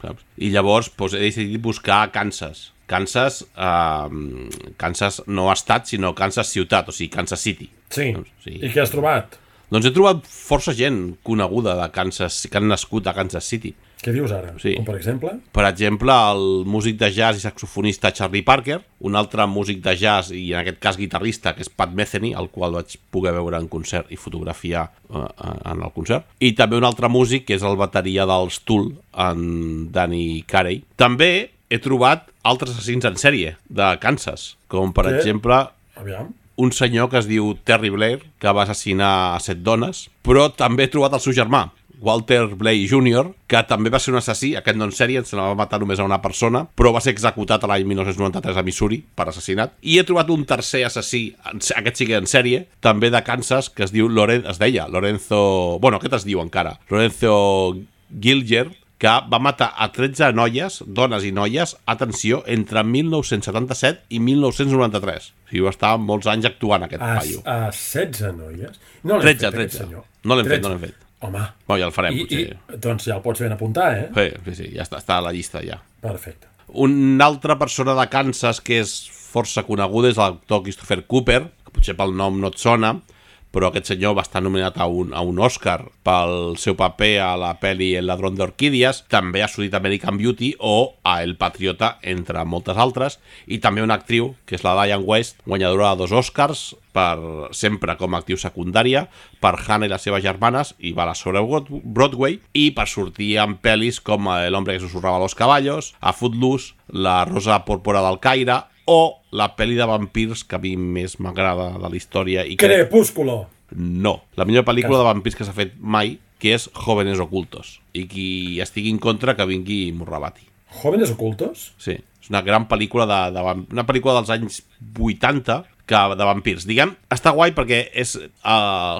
Saps? I llavors he decidit buscar Kansas. Kansas no estat, sinó Kansas ciutat, o sigui, Kansas City. Sí. I què has trobat? Doncs he trobat força gent coneguda de Kansas, que han nascut a Kansas City. Què dius ara? Sí. Com per exemple? Per exemple, el músic de jazz i saxofonista Charlie Parker, un altre músic de jazz i en aquest cas guitarrista, que és Pat Metheny, el qual vaig poder veure en concert i fotografiar en el concert, i també un altre músic que és el bateria dels Tool, en Danny Carey. També he trobat altres assassins en sèrie de Kansas, com per exemple... Aviam. Un senyor que es diu Terry Blair, que va assassinar a 7 dones, però també he trobat el seu germà, Walter Blake Jr., que també va ser un assassí, aquest no en sèrie, se la va matar només a una persona, però va ser executat l'any 1993 a Missouri per assassinat. I he trobat un tercer assassí, aquest sí que en sèrie, també de Kansas, que es deia Lorenzo... Bueno, aquest es diu encara, Lorenzo Gilger, que va matar a 13 noies, dones i noies, atenció, entre 1977 i 1993. O sigui, va estar molts anys actuant aquest paio. A 16 noies? No 13. No l'hem fet. Home. Bueno, ja el farem, potser. Doncs ja el pots ben apuntar, eh? Sí, ja està a la llista, ja. Perfecte. Una altra persona de Kansas que és força coneguda és l'actor Christopher Cooper, que potser pel nom no et sona, però aquest senyor va estar nominat a un Oscar pel seu paper a la pel·li El ladrón de orquídies, també ha sortit American Beauty o a El Patriota, entre moltes altres, i també una actriu, que és la Diane West, guanyadora de 2 Oscars, sempre com a actriu secundària, per Hannah i les seves germanes, i va a la sobre Broadway, i per sortir en pel·lis com El hombre que susurraba a los caballos, a Footloose, La rosa púrpura del Caire, o la pel·li de vampirs que a mi més m'agrada de la història. Crepúsculo! No, la millor pel·lícula de vampirs que s'ha fet mai, que és Jóvenes ocultos. I qui estigui en contra que vingui i m'ho rebati. Jóvenes ocultos? Sí, és una gran pel·lícula una pel·lícula dels anys 80 de vampirs. Diguem, està guai perquè és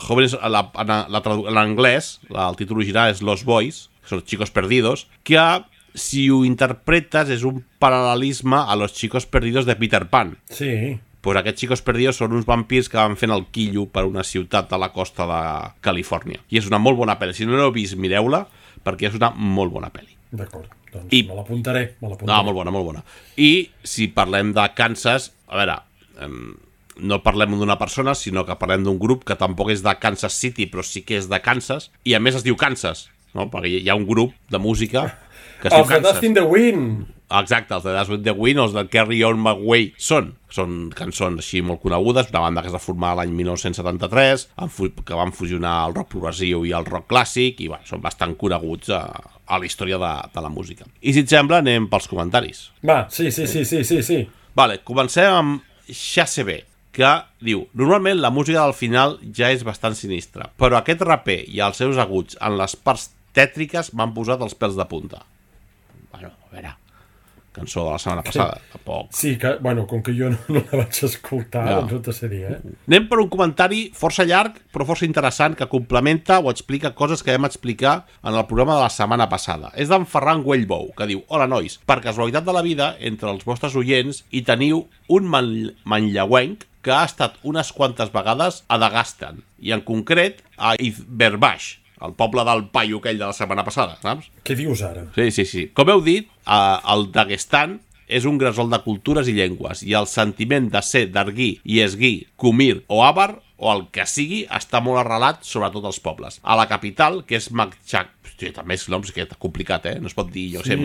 Jóvenes, en anglès, el títol original és Los Boys, que són Chicos Perdidos, que si ho interpretes és un paral·lelisme a Los Chicos Perdidos de Peter Pan. Sí. Pues aquests Chicos Perdidos són uns vampirs que van fent el quillo per una ciutat a la costa de Califòrnia. I és una molt bona pel·li. Si no l'heu vist, mireu-la, perquè és una molt bona pel·li. D'acord, doncs me l'apuntaré. No, molt bona. I si parlem de Kansas, a veure, no parlem d'una persona, sinó que parlem d'un grup que tampoc és de Kansas City, però sí que és de Kansas, i a més es diu Kansas, no? Perquè hi ha un grup de música que es diu Kansas. Els de Dust in the Wind! Exacte, els de Dust in the Wind, els de Carry On My Way són cançons així molt conegudes, una banda que es va formar l'any 1973, que van fusionar el rock progressiu i el rock clàssic, i són bastant coneguts a la història de la música. I si et sembla, anem pels comentaris. Va, sí. Vale, comencem amb Xacb, que diu: normalment la música del final ja és bastant sinistra, però aquest raper i els seus aguts en les parts tètriques m'han posat els pèls de punta. Bueno, a veure, cançó de la setmana passada, tampoc. Sí, que, bueno, com que jo no la vaig escoltar, doncs no te sé dir, Anem per un comentari força llarg, però força interessant, que complementa o explica coses que vam explicar en el programa de la setmana passada. És d'en Ferran Güellbou, que diu: hola, nois, per casualitat de la vida, entre els vostres oients hi teniu un manlleuenc que ha estat unes quantes vegades a Dagestan, i en concret a Izberbaix, el poble del paio aquell de la setmana passada, saps? Què dius ara? Sí. Com heu dit, el Daguestan és un gresol de cultures i llengües, i el sentiment de ser d'Arguí, Iesguí, Kumir o Àvar, o el que sigui, està molt arrelat sobretot als pobles. A la capital, que és Makchak... Hosti, també és noms que és complicat, No es pot dir, jo sé,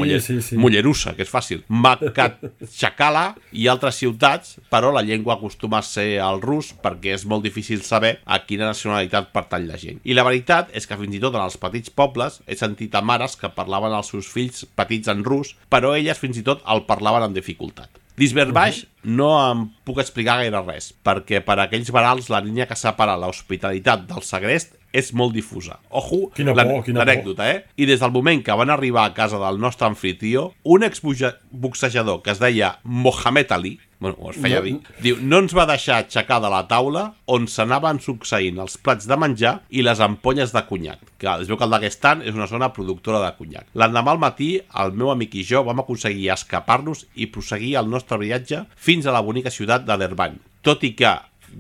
Mollerussa, que és fàcil. Makhatxakala i altres ciutats, però la llengua acostuma a ser el rus perquè és molt difícil saber a quina nacionalitat pertany la gent. I la veritat és que fins i tot en els petits pobles he sentit a mares que parlaven als seus fills petits en rus, però elles fins i tot el parlaven amb dificultat. D'Izberbaix no em puc explicar gaire res, perquè per a aquells barals la línia que separa l'hospitalitat del segrest és molt difusa. Ojo, l'anècdota, I des del moment que van arribar a casa del nostre anfitrió, un exboxejador que es deia Mohamed Ali, es feia dir, diu, no ens va deixar aixecar de la taula on s'anaven succeint els plats de menjar i les ampolles de conyac. Que es veu que el Daguestan és una zona productora de conyac. L'endemà al matí, el meu amic i jo vam aconseguir escapar-nos i proseguir el nostre viatge fins a la bonica ciutat de Derbany, tot i que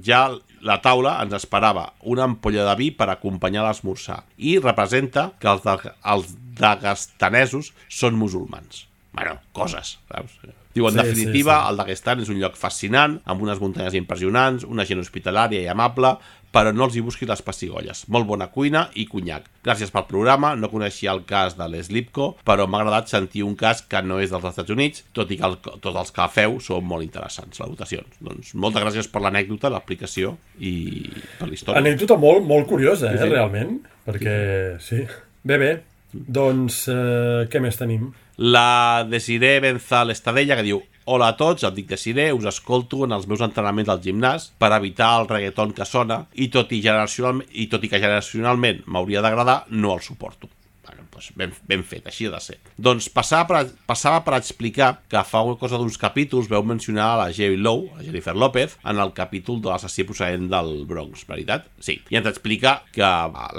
ja la taula ens esperava una ampolla de vi per acompanyar l'esmorzar, i representa que els daguestanesos són musulmans. Bueno, coses, saps? Diu, en definitiva, el Daguestan és un lloc fascinant, amb unes muntanyes impressionants, una gent hospitalària i amable, però no els hi busquis les pessigolles. Molt bona cuina i conyac. Gràcies pel programa, no coneixia el cas de l'Slipco, però m'ha agradat sentir un cas que no és dels Estats Units, tot i que tots els que feu són molt interessants, les votacions. Doncs moltes gràcies per l'anècdota, l'explicació i per la història. Anècdota molt curiosa, realment, perquè sí. Bé, doncs què més tenim? La Desiree Benzal Estadella, que diu: hola a tots, em dic Desiree, us escolto en els meus entrenaments al gimnàs per evitar el reggaeton que sona i tot i que generacionalment m'hauria d'agradar, no el suporto. Doncs ben fet, així ha de ser. Doncs passava per explicar que fa una cosa d'uns capítols veu mencionar a la J-Lo, a Jennifer López, en el capítol de l'assassí procedent del Bronx, veritat? Sí. I ens explica que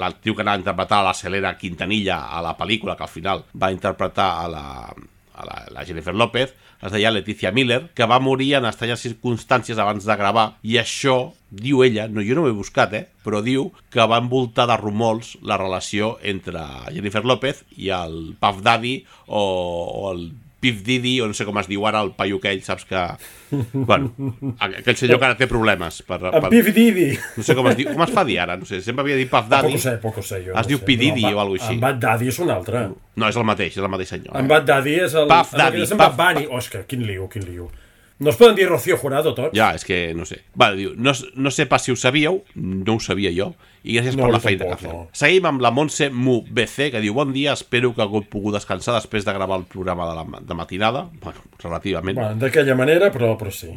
l'actriu que anava a interpretar la Selena Quintanilla a la pel·lícula, que al final va interpretar a la Jennifer López, es deia Leticia Miller, que va morir en estranyes circumstàncies abans de gravar, i això, diu ella, jo no ho he buscat, però diu que va envoltar de rumors la relació entre Jennifer López i el Puff Daddy o el Pif Didi, o no sé com es diu ara, el paio aquell, saps que... Bueno, aquell senyor que ara té problemes. En Pif Didi. No sé com es diu, com es fa dir ara, no sé, sempre havia dit Puff Daddy. Poco sé, jo. Es diu P. Didi o alguna cosa així. En Bad Daddy és un altre. No, és el mateix senyor. En Bad Daddy és el... Puff Daddy. En Bad Bunny. Oh, és que quin lío. No es poden dir Rocío Jurado tots? Ja, és que no sé. Vale, diu, no sé pas si ho sabíeu, no ho sabia jo, i gràcies per la feina que feu. Seguim amb la Montse Mu BC, que diu: bon dia, espero que hagueu pogut descansar després de gravar el programa de matinada. Bueno, relativament. Bueno, d'aquella manera, però sí.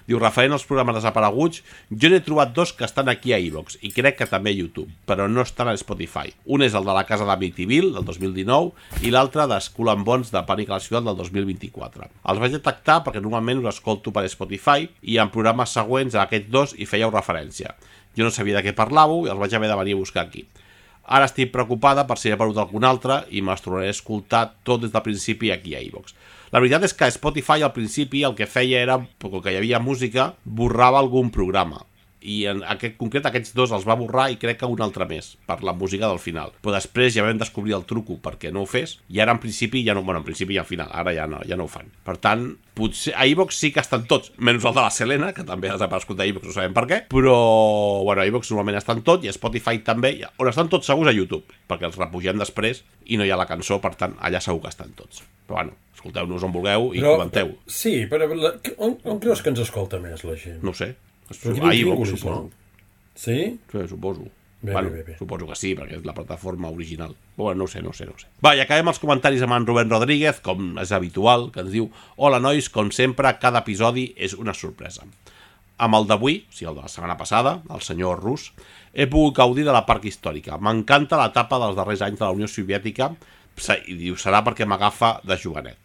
Diu, referent als programes desapareguts, jo n'he trobat dos que estan aquí a iVox, i crec que també a YouTube, però no estan a Spotify. Un és el de la casa d'Amityville, del 2019, i l'altre de Skull and Bones, de Pànic a la ciutat, del 2024. Els vaig detectar perquè normalment us escolto per Spotify, i en programes següents a aquests dos hi fèieu referència. Jo no sabia de què parlàveu i els vaig haver de venir a buscar aquí. Ara estic preocupada per si he perdut algun altre i me'ls tornaré a escoltar tot des del principi aquí a iVox. La veritat és que Spotify al principi el que feia era, com que hi havia música, borrava algun programa. I en concret aquests dos els va borrar i crec que un altre més, per la música del final. Però després ja vam descobrir el truco perquè no ho fes, i ara en principi ja no, en principi i al final, ara ja no ho fan. Per tant, potser a iVox sí que estan tots, menys el de la Selena, que també ha desaparegut a iVox, no sabem per què, però bueno, a iVox normalment estan tots, i a Spotify també, on estan tots segurs a YouTube, perquè els repugem després i no hi ha la cançó, per tant, allà segur que estan tots. Però bueno, escolteu-nos on vulgueu i comenteu. Sí, però on creus que ens escolta més la gent? No ho sé. A iVox, suposo. Sí? Sí, suposo. Bé. Suposo que sí, perquè és la plataforma original. Bueno, no ho sé. Va, i acabem els comentaris amb en Rubén Rodríguez, com és habitual, que ens diu: hola nois, com sempre, cada episodi és una sorpresa. Amb el d'avui, o sigui el de la setmana passada, el senyor Rus, he pogut gaudir de la parc històrica. M'encanta l'etapa dels darrers anys de la Unió Soviètica, i diu, serà perquè m'agafa de jovenet.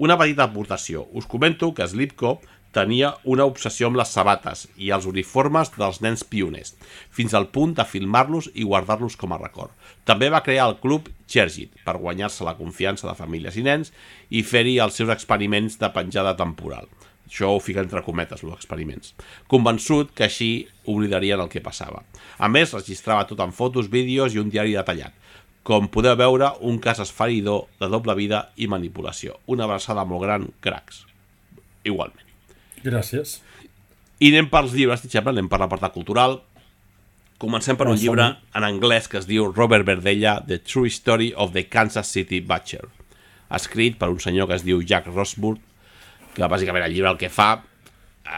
Una petita aportació. Us comento que Slipko tenia una obsessió amb les sabates i els uniformes dels nens pioners, fins al punt de filmar-los i guardar-los com a record. També va crear el club Chergit per guanyar-se la confiança de famílies i nens i fer-hi els seus experiments de penjada temporal. Això ho fica entre cometes, els experiments. Convençut que així oblidarien el que passava. A més, registrava tot en fotos, vídeos i un diari detallat. Com podeu veure, un cas esfereïdor de doble vida i manipulació. Una abraçada molt gran, cracs. Igualment. Gràcies. I anem pels llibres, anem per l'apartat cultural. Comencem per un llibre en anglès que es diu Robert Verdella, The True Story of the Kansas City Butcher, escrit per un senyor que es diu Jack Rosburg, que bàsicament el llibre el que fa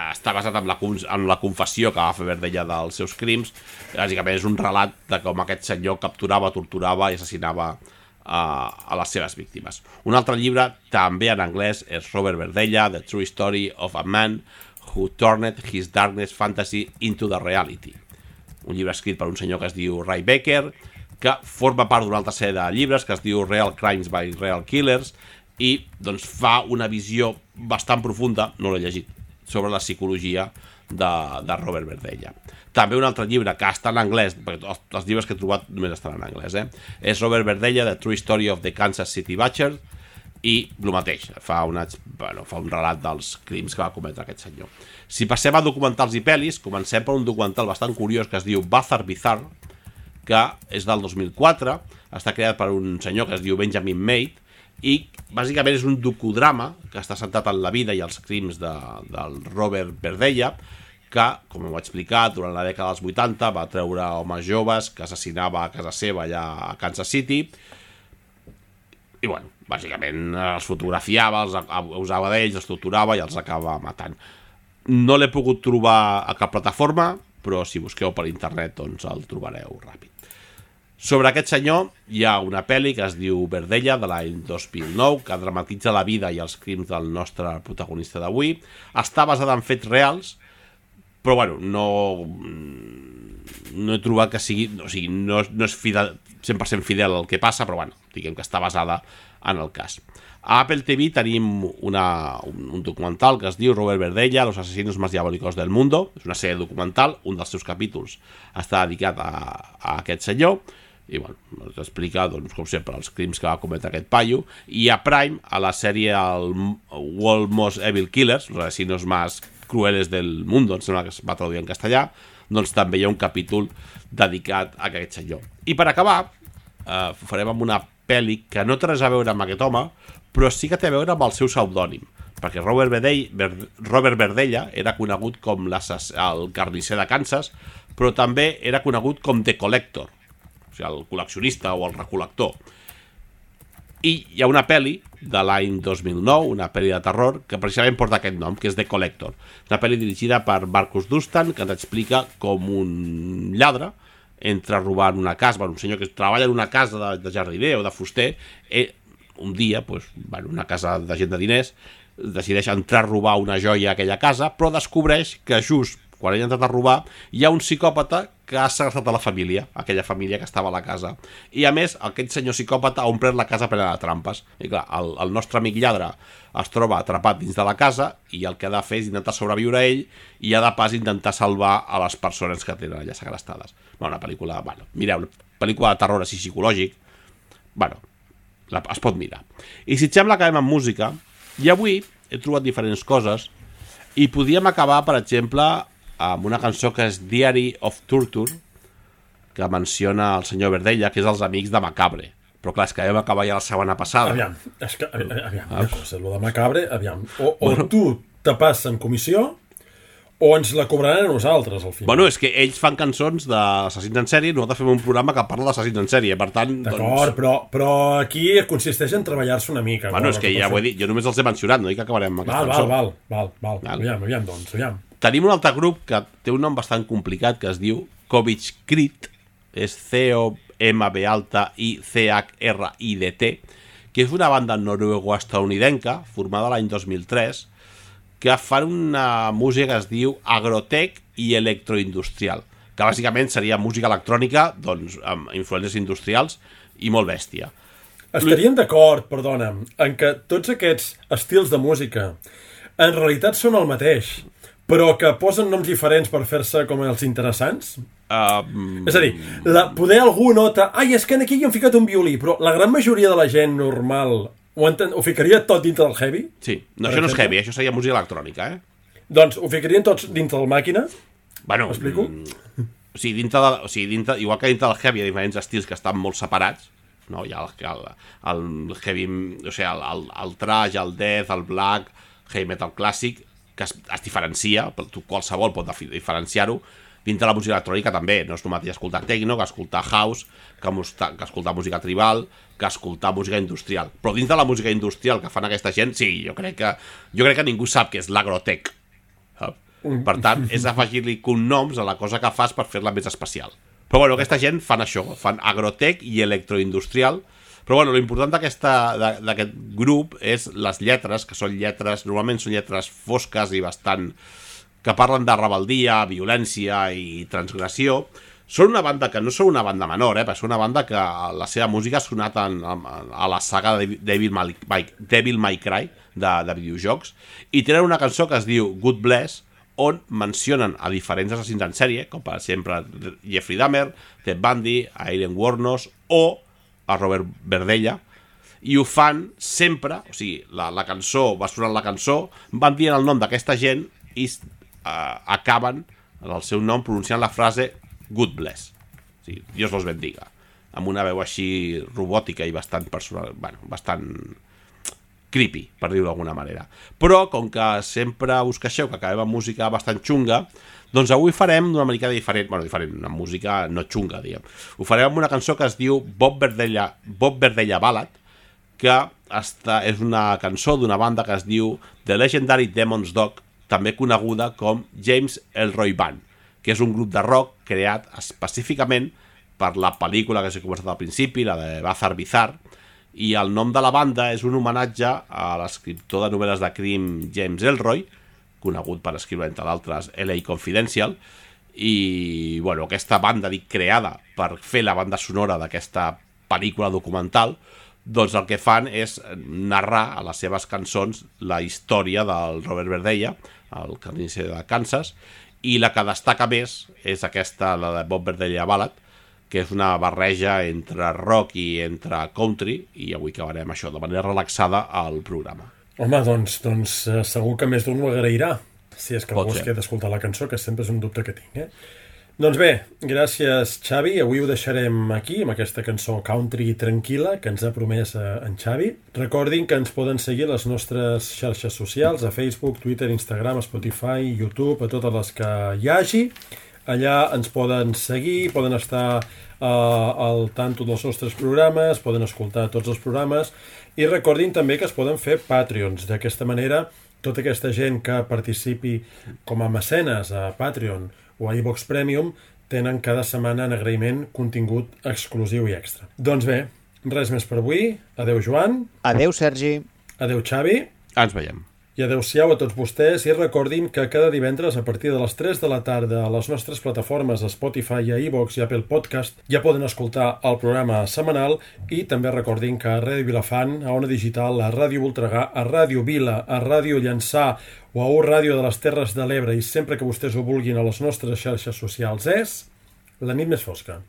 està basat en la confessió que va fer Verdella dels seus crims. Bàsicament és un relat de com aquest senyor capturava, torturava i assassinava a les seves víctimes. Un altre llibre, també en anglès, és Robert Verdella, The True Story of a Man Who Turned His Darkness Fantasy into the Reality. Un llibre escrit per un senyor que es diu Ray Baker, que forma part d'una altra sèrie de llibres que es diu Real Crimes by Real Killers, i doncs fa una visió bastant profunda, no l'he llegit, sobre la psicologia de Robert Verdella. També un altre llibre que està en anglès, perquè els llibres que he trobat només estan en anglès, és Robert Verdella, The True Story of the Kansas City Butcher, i el mateix, fa un relat dels crims que va cometre aquest senyor. Si passem a documentals i pel·lis, comencem per un documental bastant curiós que es diu Bazar Bizarre, que és del 2004, està creat per un senyor que es diu Benjamin Maid, i bàsicament és un docudrama que està centrat en la vida i els crims del Robert Verdella, que, com ho va explicar, durant la dècada dels 80 va treure homes joves que assassinava a casa seva allà a Kansas City, i bueno, bàsicament els fotografiava, els abusava d'ells, els torturava i els acaba matant. No l'he pogut trobar a cap plataforma, però si busqueu per internet doncs el trobareu ràpid. Sobre aquest senyor hi ha una pel·li que es diu Verdella, de l'any 2009, que dramatitza la vida i els crims del nostre protagonista d'avui. Està basada en fets reals, però bueno, no he trobat que sigui... O sigui, no és 100% fidel al que passa, però bueno, diguem que està basada en el cas. A Apple TV tenim un documental que es diu Robert Verdella, los asesinos más diabólicos del mundo. És una sèrie documental, un dels seus capítols està dedicat a aquest senyor, i bueno, ens explica, doncs, com sempre, els crims que va cometre aquest paio. I a Prime, a la sèrie World Most Evil Killers, los asesinos más crueles del mundo, em sembla que es va traduir en castellà, doncs també hi ha un capítol dedicat a aquest senyor. I per acabar, ho farem amb una pel·li que no té res a veure amb aquest home, però sí que té a veure amb el seu pseudònim, perquè Robert Verdella era conegut com el carnisser de Kansas, però també era conegut com The Collector, o sigui, el col·leccionista o el recol·lector. I hi ha una pel·li de l'any 2009, una pel·li de terror, que precisament porta aquest nom, que és The Collector. Una pel·li dirigida per Marcus Dustan, que ens explica com un lladre entra a robar en una casa, un senyor que treballa en una casa de jardiner o de fuster, un dia, una casa de gent de diners, decideix entrar a robar una joia a aquella casa, però descobreix que just quan ell ha entrat a robar hi ha un psicòpata que ha segrestat a la família, aquella família que estava a la casa. I a més, aquest senyor psicòpata ha omplert la casa plena de trampes. I clar, el nostre amic lladre es troba atrapat dins de la casa i el que ha de fer és intentar sobreviure a ell i ha de pas intentar salvar a les persones que tenen allà segrestades. Una pel·lícula, mireu, pel·lícula de terror així psicològic, es pot mirar. I si et sembla, acabem amb música, i avui he trobat diferents coses i podíem acabar, per exemple, amb una cançó que és Diary of Torture, que menciona el senyor Verdella, que és els amics de Macabre. Però clar, és que vam acabar ja la setmana passada. Aviam, una cosa, el de Macabre, aviam, o tu te passes en comissió o ens la cobraran a nosaltres, al final. Bueno, és que ells fan cançons d'assassins en sèrie, nosaltres fem un programa que parla d'assassins en sèrie, per tant... D'acord, però aquí consisteix en treballar-se una mica. Bueno, és que ja ho he dit, jo només els he mencionat, no dic que acabarem amb aquesta cançó. Val. Aviam, doncs. Tenim un altre grup que té un nom bastant complicat, que es diu Covich Crit, és C-O-M-B-I-C-H-R-I-D-T, que és una banda noruego-estadounidenca, formada l'any 2003, que fan una música que es diu agrotech i electroindustrial, que bàsicament seria música electrònica, doncs, amb influències industrials i molt bèstia. Estarien d'acord, perdona'm, en que tots aquests estils de música en realitat són el mateix, però que posen noms diferents per fer-se com els interessants? És a dir, poder algú nota és que aquí hi han ficat un violí, però la gran majoria de la gent normal ho ficaria tot dintre del heavy? Sí, no, això no és heavy, això seria música electrònica, Doncs ho ficarien tots dintre del màquina? M'explico? Igual que dintre del heavy hi ha diferents estils que estan molt separats, no? Hi ha el heavy, o sigui, el thrash, el death, el black, heavy metal clàssic, que es diferencia, qualsevol pot diferenciar-ho. Dintre la música electrònica també, no és el mateix escoltar techno que escoltar house, que escoltar música tribal, que escoltar música industrial. Però dins de la música industrial que fan aquesta gent, sí, jo crec que ningú sap què és l'agrotech. Per tant, és afegir-li cognoms a la cosa que fas per fer-la més especial. Però bueno, aquesta gent fan això, fan agrotech i electroindustrial. Però bueno, l'important d'aquest grup és les lletres, que normalment són lletres fosques i bastant... que parlen de rebeldia, violència i transgressió. Són una banda que no són una banda menor, però són una banda que la seva música ha sonat a la saga de Devil May Cry de videojocs, i tenen una cançó que es diu Good Bless, on mencionen a diferents assassins en sèrie, com per exemple Jeffrey Dahmer, Ted Bundy, Aileen Wuornos o a Robert Verdella, i ho fan sempre, o sigui, la cançó, va sonant la cançó, van dient el nom d'aquesta gent i acaben el seu nom pronunciant la frase God Bless, o sigui, Dios los bendiga, amb una veu així robòtica i bastant personal, bastant creepy, per dir-ho d'alguna manera. Però, com que sempre us queixeu que acabem amb música bastant xunga, doncs avui farem d'una mica diferent, una música no xunga, diguem. Ho farem amb una cançó que es diu Bob Verdella Ballad, que és una cançó d'una banda que es diu The Legendary Demon's Dog, també coneguda com James Ellroy Band, que és un grup de rock creat específicament per la pel·lícula que s'ha començat al principi, la de Bazar Bizarre, i el nom de la banda és un homenatge a l'escriptor de novel·les de crim James Ellroy, conegut per escriure, entre d'altres, LA Confidential, i bueno, aquesta banda, creada per fer la banda sonora d'aquesta pel·lícula documental, doncs el que fan és narrar a les seves cançons la història del Robert Verdella, el carnisser de Kansas, i la que destaca més és aquesta, la de Bob Verdella Ballad, que és una barreja entre rock i entre country, i avui acabarem això de manera relaxada al programa. Home, doncs segur que més d'un ho agrairà, si és que algú es queda d'escoltar la cançó, que sempre és un dubte que tinc, Doncs bé, gràcies Xavi, avui ho deixarem aquí amb aquesta cançó country tranquil·la que ens ha promès en Xavi. Recordin que ens poden seguir a les nostres xarxes socials, a Facebook, Twitter, Instagram, Spotify, YouTube, a totes les que hi hagi. Allà ens poden seguir, poden estar al tanto dels nostres programes, poden escoltar tots els programes i recordin també que es poden fer Patreons. D'aquesta manera, tota aquesta gent que participi com a mecenes a Patreon o a iVox Premium tenen cada setmana en agraïment contingut exclusiu i extra. Doncs bé, res més per avui. Adeu Joan. Adeu Sergi. Adeu Xavi. Ens veiem. I adeu-siau a tots vostès i recordin que cada divendres a partir de les 3 de la tarda a les nostres plataformes a Spotify, a iVox i Apple Podcast ja poden escoltar el programa setmanal i també recordin que a Ràdio Vilafant, a Ona Digital, a Ràdio Voltregà, a Ràdio Vila, a Ràdio Llançà o a Ràdio de les Terres de l'Ebre i sempre que vostès ho vulguin a les nostres xarxes socials és La nit més fosca.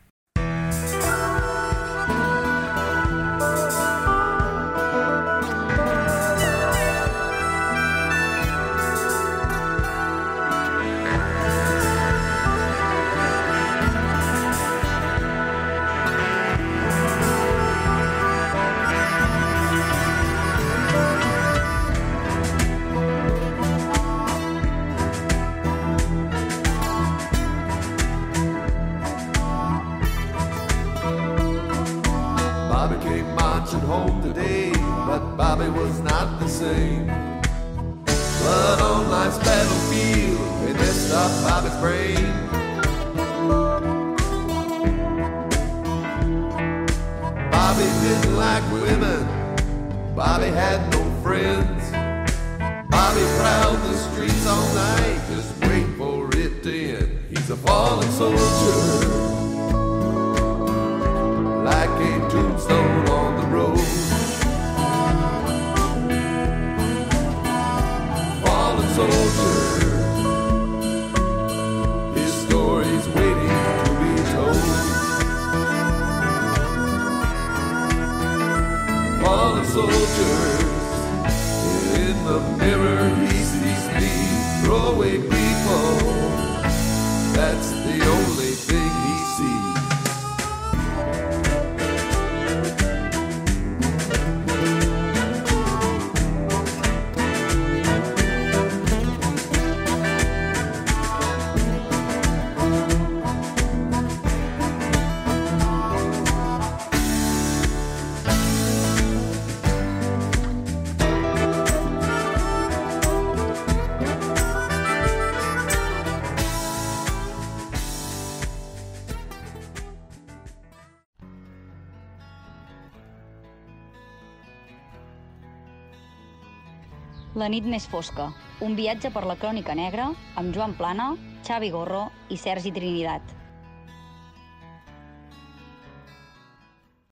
La nit més fosca, un viatge per la crònica negra amb Joan Plana, Xavi Gorro i Sergi Trinidat.